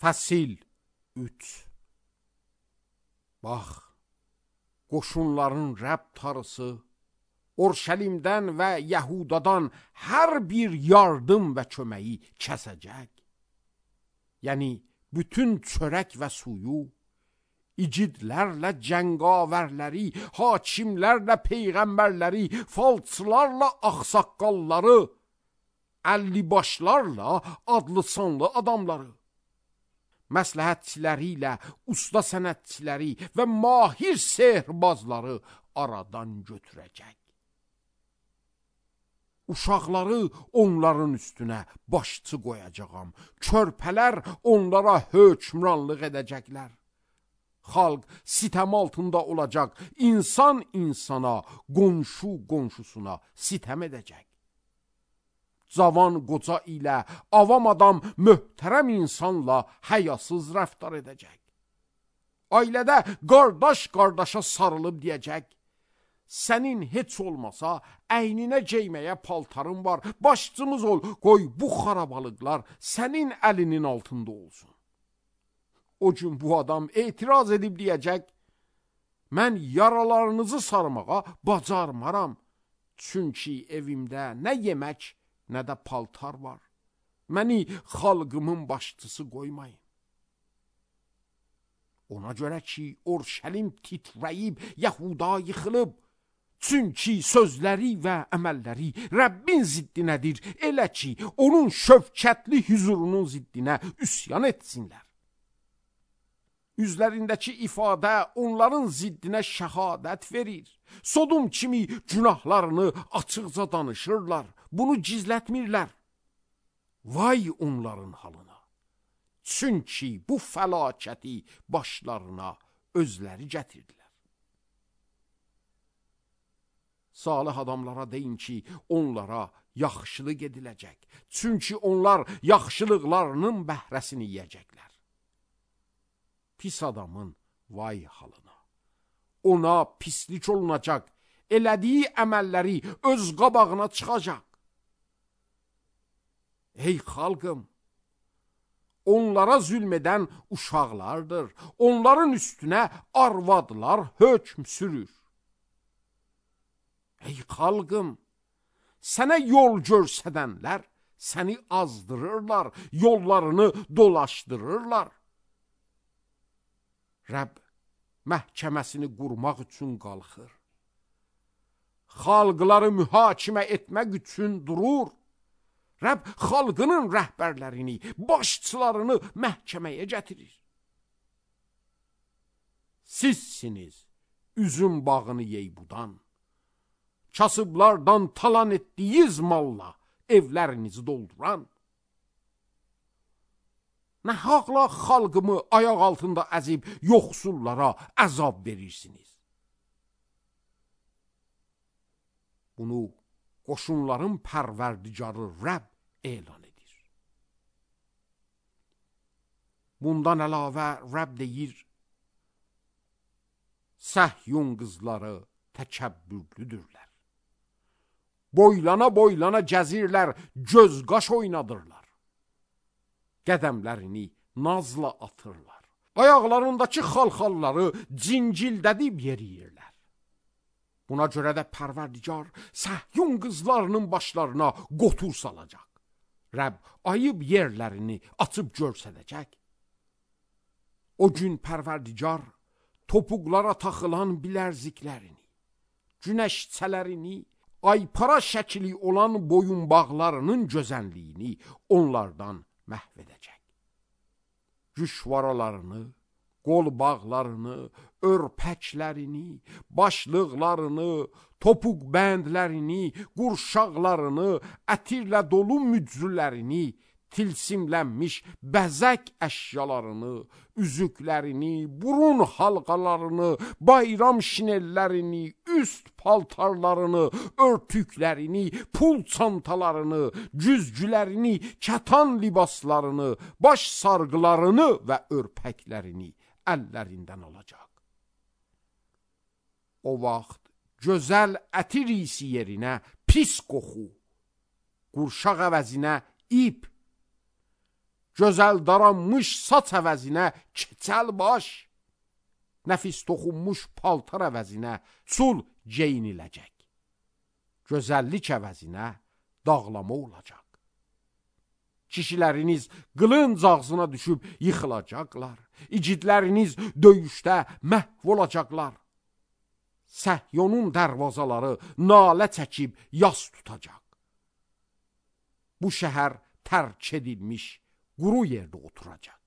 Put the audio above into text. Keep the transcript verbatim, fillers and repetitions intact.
Fəsil üç. Bax, qoşunların Rəbb tarısı Orşəlimdən və Yəhudadan hər bir yardım və köməyi kəsəcək. Yəni, bütün çörək və suyu, icidlərlə cəngavərləri, hakimlərlə peyğəmbərləri, falçılarla axsaqqalları, əllibaşlarla adlı sanlı adamları, məsləhətçiləri ilə usta sənətçiləri və mahir sehrbazları aradan götürəcək. Uşaqları onların üstünə başçı qoyacağam. Körpələr onlara hökmranlıq edəcəklər. Xalq sitəm altında olacaq. İnsan insana, qonşu qonşusuna sitəm edəcək. Cavan qoca ilə, avam adam möhtərəm insanla həyasız rəftar edəcək. Ailədə qardaş qardaşa sarılıb deyəcək: sənin heç olmasa əyninə geyməyə paltarın var, başçımız ol, qoy bu xarabalıqlar sənin əlinin altında olsun. O gün bu adam etiraz edib deyəcək: mən yaralarınızı sarmağa bacarmaram, çünki evimdə nə yemək, nə də paltar var. Məni xalqımın başçısı qoymayın. Ona görə ki, Orşəlim titrəyib, Yəhuda yıxılıb. Çünki sözləri və əməlləri Rəbbin ziddinədir, elə ki, onun şövkətli hüzurunun ziddinə üsyan etsinlər. Üzlərindəki ifadə onların ziddinə şəhadət verir. Sodom kimi günahlarını açıqca danışırlar, bunu gizlətmirlər. Vay onların halına! Çünki bu fəlakəti başlarına özləri gətirdilər. Salih adamlara deyin ki, onlara yaxşılıq ediləcək. Çünki onlar yaxşılıqlarının bəhrəsini yiyəcəklər. Pis adamın vay halına! Ona pislik olunacaq, elədiyi əməlləri öz qabağına çıxacaq. Ey xalqım! Onlara zülm edən uşaqlardır. Onların üstünə arvadlar hökm sürür. Ey xalqım! Sənə yol görsədənlər səni azdırırlar, yollarını dolaşdırırlar. Rəbb məhkəməsini qurmaq üçün qalxır. Xalqları mühakimə etmək üçün durur. Rəbb xalqının rəhbərlərini, başçılarını məhkəməyə gətirir. Sizsiniz üzüm bağını yeybudan, kasıblardan talan etdiyiniz malla evlərinizi dolduran. Nə haqla xalqımı ayaq altında əzib yoxsullara əzab verirsiniz? Bunu qoşunların pərverdigarı Rəbb elan edir. Bundan əlavə Rəbb deyir: Səhyun qızları təkəbbürlüdürlər. Boylana boylana gəzirlər, göz qaş oynadırlar. Qədəmlərini nazla atırlar. Ayaqlarındakı xalxalları cincildədib yeriyirlər. Buna görə də Pərverdigar Səhyun qızlarının başlarına qotur salacaq. Rəbb ayıb yerlərini açıb görsədəcək. O gün Pərverdigar topuqlara taxılan bilərziklərini, günəşçələrini, aypara şəkli olan boyunbağlarının gözənliyini onlardan məhv edəcək. Güşvaralarını, qolbağlarını, örpəklərini, başlıqlarını, topuq bəndlərini, qurşaqlarını, ətirlə dolu mücrülərini, tilsimlənmiş bəzək əşyalarını, üzüklərini, burun halqalarını, bayram şinellərini, üst paltarlarını, örtüklərini, pul çantalarını, güzgülərini, kətan libaslarını, baş sarğılarını və örpəklərini əllərindən alacaq. O vaxt gözəl ətir isi yerinə pis qoxu, qurşaq əvəzinə ip, Gözəl daranmış saç əvəzinə keçəl baş, nəfis toxunmuş paltar əvəzinə sul geyiniləcək. Gözəllik əvəzinə dağlama olacaq. Kişiləriniz qılınc ağzına düşüb yıxılacaqlar. İgidləriniz döyüşdə məhv olacaqlar. Səhyonun dərvazaları nalə çəkib yas tutacaq. Bu şəhər tərk edilmiş quru yerdə oturacaq.